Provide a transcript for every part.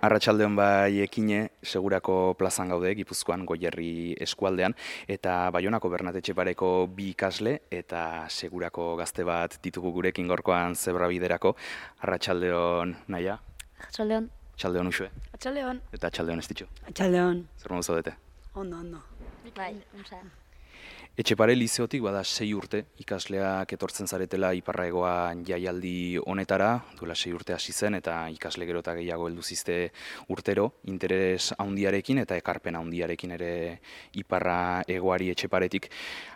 Arratsaldeon bai ekine, segurako plazan gaude, Gipuzkoan Goierri eskualdean, eta Baionako Bernat Etxepareko bi ikasle eta segurako gazte bat ditugu gurekin gorkoan zebrabiderako. Arratsaldeon Naia, Arratsaldeon. arratsaldeon Uxue, Atxaldeon. eta arratsaldeon Estitxo. Atxaldeon. Zer modu zaudete? Ondo. Bai, untza. Etxepare lizeotik bada 6 urte ikasleak etortzen zaretela Iparraegoa jaialdi honetara, duela 6 urte hasi zen eta ikasle gero eta gehiago heldu zizte urtero, interes handiarekin eta ekarpen handiarekin ere Iparraegoari Etxeparetik.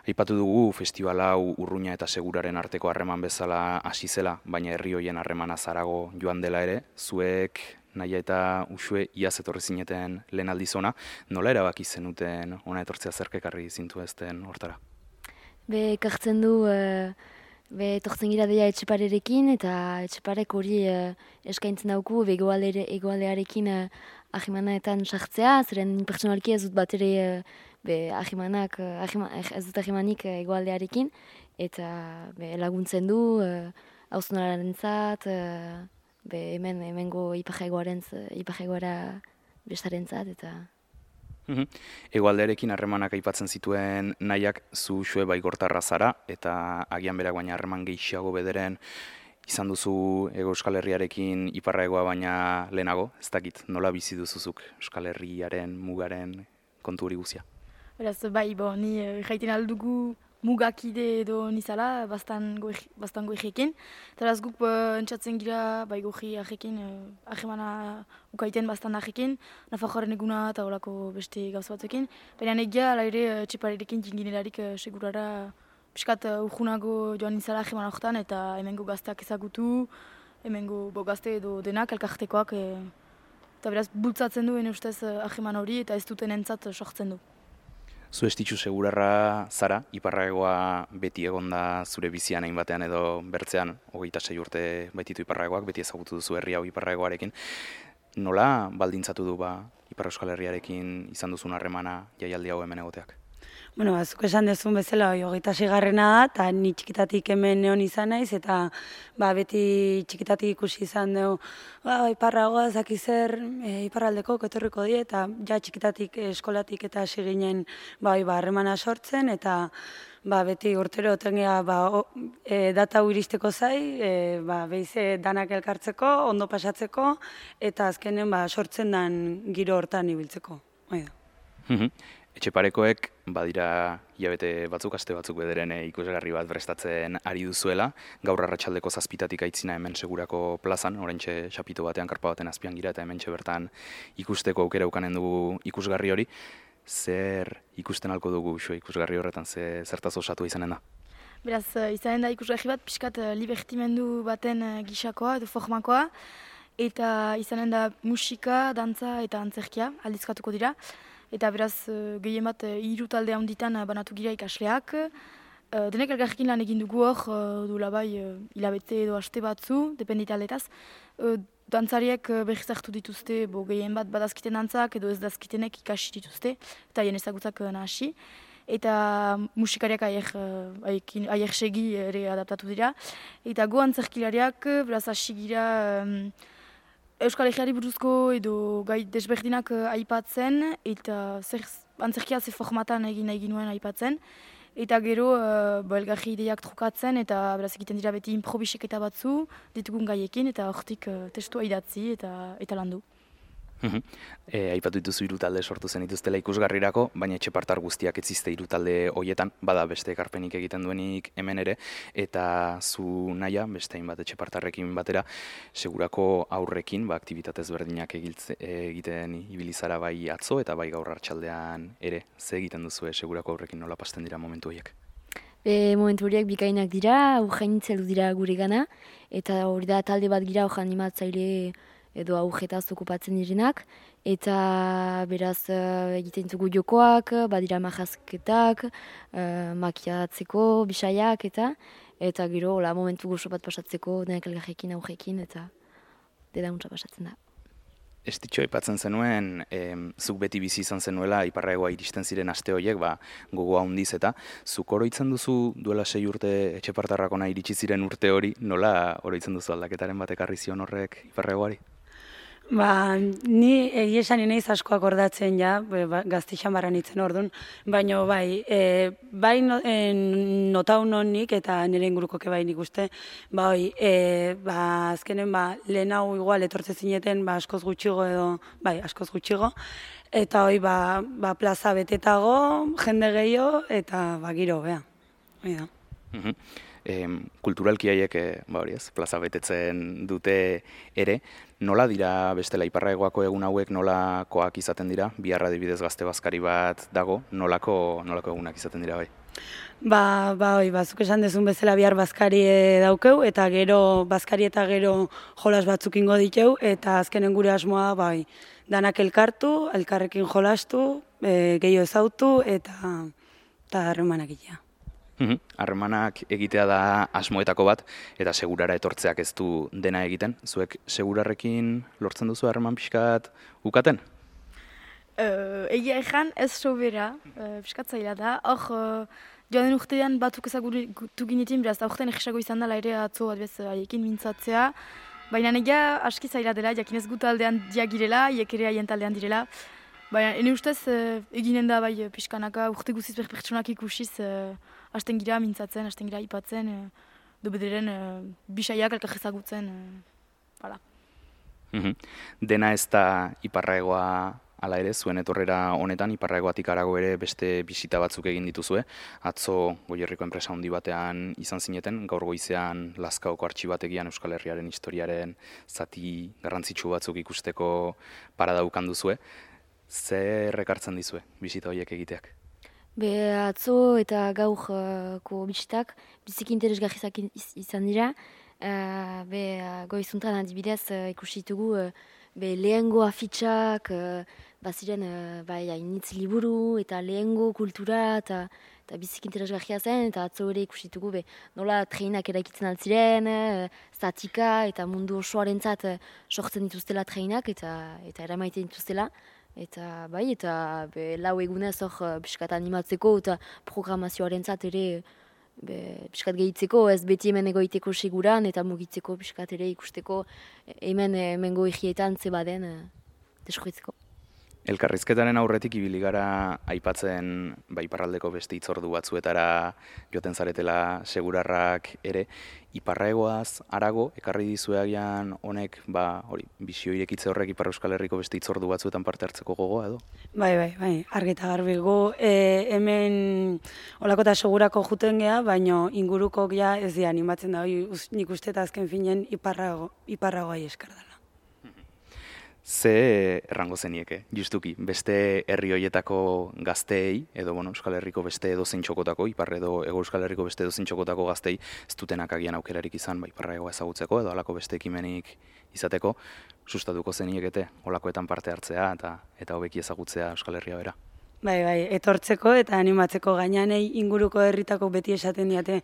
Aipatu dugu festival hau Urruña eta Seguraren arteko harreman bezala hasi zela, baina herri hoien harremana zarago joan dela ere, zuek Naia eta Uxue iaz etorri zineten lehen aldiz ona, nola erabaki zenuten ona etortzea zerk ekarri zintuezten hortara? Ekartzen du, etortzen gira deia Etxeparerekin, eta Etxeparek hori eskaintzen dauku, egoaldearekin ahimanaetan sartzea, zeren pertsonalki ez dut bat ere ez dut ahimanik egoaldearekin, eta laguntzen du, hausnararentzat, hemengo Iparraegoara bestarentzat, eta... Hegoaldearekin harremanak aipatzen zituen Naiak, zu Uxue baigortarra zara, eta agian berak baina harreman gehiago bederen izan duzu Hego Euskal Herriarekin Iparraegoa baina lehenago, ez dakit, nola bizi duzuzuk Euskal Herriaren mugaren kontu hori guzia? Beraz, bai, ni jaiten aldugu mugakide edo nizala, bastan goijekin. Eta beraz guk entzatzen gira, bai goji ajekin, ahemana ukaiten bastan ajekin, Nafarroaren eguna eta horako beste gauza batzuekin. Baina negia, ala ere, Etxeparerekin jinginerarik segurara piskat urgunago joan nizala ahemana horretan, eta hemengo gazteak ezagutu, hemengo gazte edo denak, elkartekoak, eta beraz bultzatzen du, ustez aheman hori, eta ez duten entzat sortzen du. Zu Estitxu segurarra zara, Iparraegoa beti egonda zure bizian hain batean edo bertzean, 26 urte baititu Iparraegoak, beti ezagutu duzu herri hau Iparraegoarekin. Nola baldintzatu du Ipar Euskal Herriarekin izan duzun harremana jaialdi hau hemen egoteak? Bueno, zuk esan duzun bezala, 26garrena da, eta ni txikitatik hemen neon izan naiz, eta beti txikitatik ikusi izan dugu, Iparraegoa zaki zer, Iparraldeko etorriko die, eta ja txikitatik eskolatik eta hasi ginen harremana sortzen, eta beti urtero otengea data hau iristeko zai, behize danak elkartzeko, ondo pasatzeko, eta azkenen sortzen den giro hortan ibiltzeko. Etxeparekoek badira hilabete batzuk, aste batzuk bederen ikusgarri bat prestatzen ari duzuela. Gaur arratsaldeko 7 aitzina hemen segurako plazan, oraintxe xapito batean karpa baten azpian gira eta hementxe bertan ikusteko aukera ukanen dugu ikusgarri hori. Zer ikusten halko dugu ikusgarri horretan, zertaz osatua izanen da? Beraz, izanen da ikusgarri bat, piskat libertimendu baten gisakoa edo formakoa, eta izanen da musika, dantza eta antzerkia aldizkatuko dira. Eta beraz, gehien bat, 3 talde handitan banatu gira ikasleak. Denek elkarrekin lan egin dugu hor, duela bai hilabete edo aste batzu, dependi taldetaz. Dantzariek berriz hartu dituzte, gehien bat badazkiten dantzak edo ez dazkitenek ikasi dituzte, eta hien ezagutzak nahasi. Eta musikariak aier segi ere adaptatu dira. Eta go antzerkilariak, beraz hasi gira Euskal Herriari buruzko edo gai desberdinak aipatzen, eta antzerkia ze formatan egin nuen aipatzen. Eta gero elgarri ideiak trukatzen, eta beraz egiten dira beti improbiseketa batzu, ditugun gaiekin, eta hortik testua idatzi eta landu. Aipatu dituzu 3 talde sortu zen dituztela ikusgarrirako, baina Etxepartar guztiak ez ziste 3 talde hoietan, bada beste ekarpenik egiten duenik hemen ere, eta zu Naia, beste hainbat Etxepartarrekin batera, segurako aurrekin, aktibitatez berdinak egiten ibilizara bai atzo eta bai gaur arratsaldean ere, ze egiten duzue segurako aurrekin, nola pasten dira momentu horiek? Momentu horiek bikainak dira, urgainitzelu dira gure gana, eta hori da talde bat gira hor animatzaile edo aurretaz okupatzen direnak, eta beraz egiten dugu jokoak, badira majazketak, makiatzeko, bisaiak, eta gero momentu gozo bat pasatzeko denak elgarrekin, aurrekin, eta dedauntza pasatzen da. Estitxo aipatzen zenuen, zuk beti bizi izan zenuela Iparraegoa iristen ziren aste horiek, gogoa handiz eta zuk oroitzen duzu duela 6 urte Etxepartarrakona iritsi ziren urte hori, nola oroitzen duzu aldaketaren bat ekarri zion horrek Iparraegoari? Ni egia esan naiz asko akordatzen ja, Gaztixan barra nintzen orduan, baina bai notau nik eta nire ingurukoke bai nik uste, azkenen lehen hau igual etortze zineten askoz gutxigo edo, askoz gutxigo, eta plaza betetago, jende gehiago eta giro, bea. Kulturalki haiek plaza betetzen dute ere, nola dira bestela Iparraegoako egun hauek nolakoak izaten dira? Bihar adibidez Gazte Bazkari bat dago, nolako egunak izaten dira bai? Zuk esan dezun bezala bihar bazkari daukeu, eta gero bazkari eta gero jolas batzuk ingo diteu, eta azkenen gure asmoa danak elkartu, elkarrekin jolastu, gehiago ezautu eta harremanak egitea. Harremanak egitea da asmoetako bat, eta segurara etortzeak ez du dena egiten. Zuek segurarrekin lortzen duzu harreman pixkat ukaten? Egia ezan ez sobera, pixkat zaila da. Hor, joan den urtean batzuk ezagutu ginetin, beraz, aurten egisago izan dela ere atzo adbez haiekin mintzatzea. Baina egia aski zaila dela, jakin ez gut aldean diagirela, iek ere haien taldean direla. Baina, ene ustez, eginen da pixkanaka urte guziz pertsonak ikusiz, hasten gira mintzatzen, hasten gira ipatzen, bederen bisaiak elkar ezagutzen, Dena ez da Iparraegoa ala ere, zuen etorrera honetan, Iparraegoatik harago ere beste bisita batzuk egin dituzue. Atzo Goierriko enpresa handi batean izan zineten, gaur goizean Lazkaoko artxibategian Euskal Herriaren historiaren zati garrantzitsu batzuk ikusteko parada ukan duzue. Zer ekartzen dizue bisita horiek egiteak? Atzo eta gaurko bisitak biziki interesgarrizak izan dira. Goizuntan adibidez ikusi ditugu lehengo afitxak, baziren hainitz liburu eta lehengo kultura eta biziki interesgarria zen, eta atzo ere ikusi ditugu nola treinak eraikitzen altziren, zatika eta mundu osoarentzat sortzen dituztela treinak eta eramaiten dituztela. Eta lau egunez hor piskat animatzeko eta programazioarentzat ere piskat gehitzeko, ez beti hemen egoiteko seguran eta mugitzeko piskat ere ikusteko hemen goigietan zebaden deskuitzeko. Elkarrizketaren aurretik ibili gara aipatzen Iparraldeko beste hitzordu batzuetara joten zaretela segurarrak ere. Iparraegoaz harago ekarri dizueagian honek bisio irekitze horrek Ipar Euskal Herriko beste hitzordu batzuetan parte hartzeko gogoa edo? Bai, argi eta garbi gu hemen olako eta segurako juten geha, baina ingurukok ja ez di animatzen da, nik uste eta azken finen Iparragoai eskar dela. Ze errango zenieke, justuki, beste herri hoietako gazteei, edo Euskal Herriko beste edozein txokotako, Ipar edo Hego Euskal Herriko beste edozein txokotako gazteei, ez dutenak agian aukerarik izan, Iparraegoa ezagutzeko, edo halako beste ekimenik izateko, sustatuko zeniekete, holakoetan parte hartzea eta hobeki ezagutzea Euskal Herria bera. Bai, etortzeko eta animatzeko gainanei inguruko herritako beti esaten diate,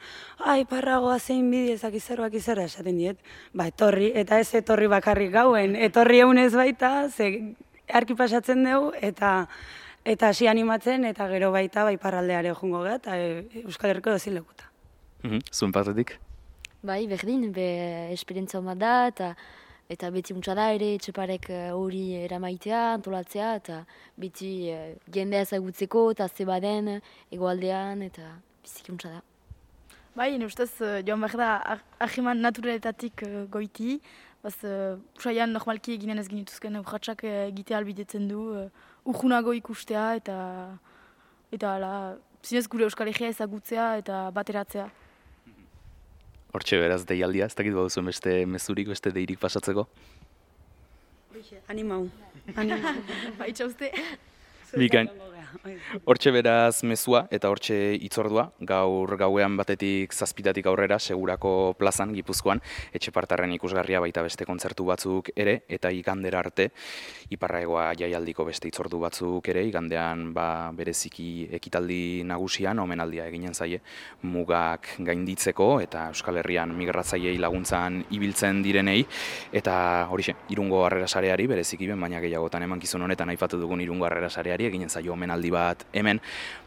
Iparragoa zein bidezak izerroak izerra esaten diet. Etorri, eta ez etorri bakarrik gauen, etorri egunez baita, ze arki pasatzen dugu, eta hasi animatzen, eta gero baita Iparraldeare jungo gara, eta Euskal Herriko dozin lekuta. Zuen partetik? Bai, berdin, esperientzia bat da, eta beti untsa da ere etxeparek hori eramaitea, antolatzea, eta beti jendea ezagutzeko eta zebaden egoaldean, eta biziki untsa da. Bai, ustez joan behar da ahiman naturaletatik goiti, usaian normalki eginen ez ginituzken urratxak egitea albidetzen du, urjunago ikustea eta zinez gure Euskal Herria ezagutzea eta bateratzea. Hortxe beraz deialdia, ez dakit baduzuen beste mezurik, beste deirik pasatzeko? Animau. Baitxa uste. Bikain. Hortxe beraz mezua eta hortxe hitzordua, gaur gauean batetik zazpitatik aurrera, Segurako plazan, Gipuzkoan, Etxepartarren ikusgarria baita beste kontzertu batzuk ere, eta igandera arte, Iparraegoa jaialdiko beste hitzordu batzuk ere, igandean bereziki ekitaldi nagusian, omenaldia eginen zaie, mugak gainditzeko, eta Euskal Herrian migratzaileei laguntzan ibiltzen direnei, eta horixe, Irungo Harrera Sareari, bereziki baina gehiagotan emankizun honetan aipatu dugun Irungo Harrera Sareari eginen zaio omenaldia emanaldi bat hemen.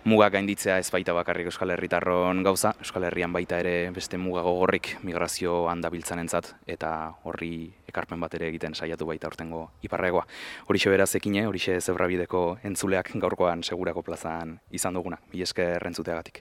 Mugak gainditzea ez baita bakarrik Euskal Herritarron gauza, Euskal Herrian baita ere beste muga gogorrik migrazio handabiltzanentzat eta horri ekarpen bat ere egiten saiatu baita aurtengo iparraegoa. Horixe beraz ekine, horixe Zebrabideko entzuleak gaurkoan Segurako plazan izan duguna. Mila esker entzuteagatik.